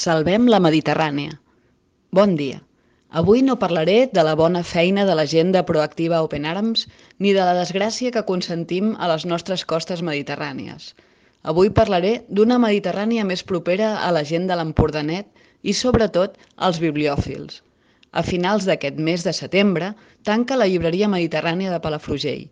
Salvem la Mediterrània. Bon dia. Avui no parlaré de la bona feina de la gent de Proactiva Open Arms ni de la desgràcia que consentim a les nostres costes mediterrànies. Avui parlaré d'una Mediterrània més propera a la gent de l'Empordanet i, sobretot, als bibliòfils. A finals d'aquest mes de setembre tanca la llibreria mediterrània de Palafrugell.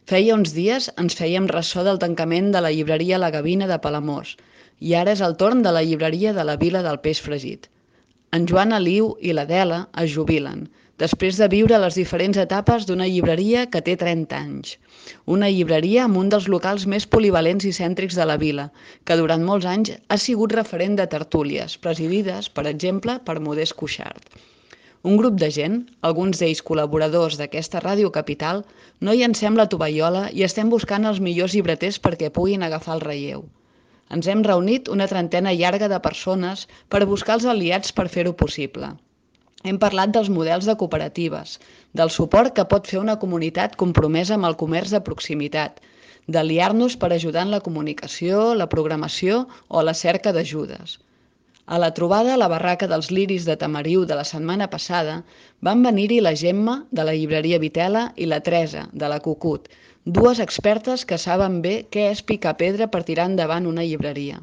Feia uns dies ens fèiem ressò del tancament de la llibreria La Gavina de Palamós i ara és el torn de la llibreria de la Vila del Peix Fregit. En Joan Aliu i l'Adela es jubilen, després de viure les diferents etapes d'una llibreria que té 30 anys. Una llibreria amb un dels locals més polivalents i cèntrics de la vila, que durant molts anys ha sigut referent de tertúlies, presidides, per exemple, per Modest Cuixart. Un grup de gent, alguns d'ells col·laboradors d'aquesta Ràdio Capital, no llancem la tovallola i estem buscant els millors llibreters perquè puguin agafar el relleu. Ens hem reunit una trentena llarga de persones per buscar els aliats per fer-ho possible. Hem parlat dels models de cooperatives, del suport que pot fer una comunitat compromesa amb el comerç de proximitat, d'aliar-nos per ajudar en la comunicació, la programació o la cerca d'ajudes. A la trobada a la barraca dels Liris de Tamariu de la setmana passada van venir-hi la Gemma, de la llibreria Vitela, i la Teresa, de la Cucut, dues expertes que saben bé què és picar pedra per tirar endavant una llibreria.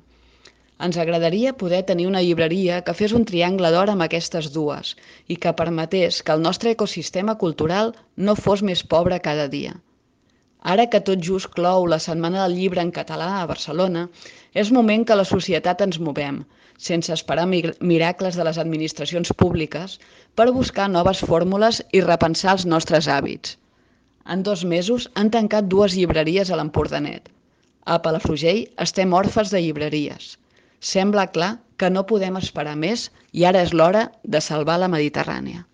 Ens agradaria poder tenir una llibreria que fes un triangle d'or amb aquestes dues i que permetés que el nostre ecosistema cultural no fos més pobre cada dia. Ara que tot just clou la Setmana del Llibre en català a Barcelona, és moment que la societat ens movem, sense esperar miracles de les administracions públiques, per buscar noves fórmules i repensar els nostres hàbits. En 2 mesos han tancat 2 llibreries a l'Empordanet. A Palafrugell estem orfes de llibreries. Sembla clar que no podem esperar més i ara és l'hora de salvar la Mediterrània.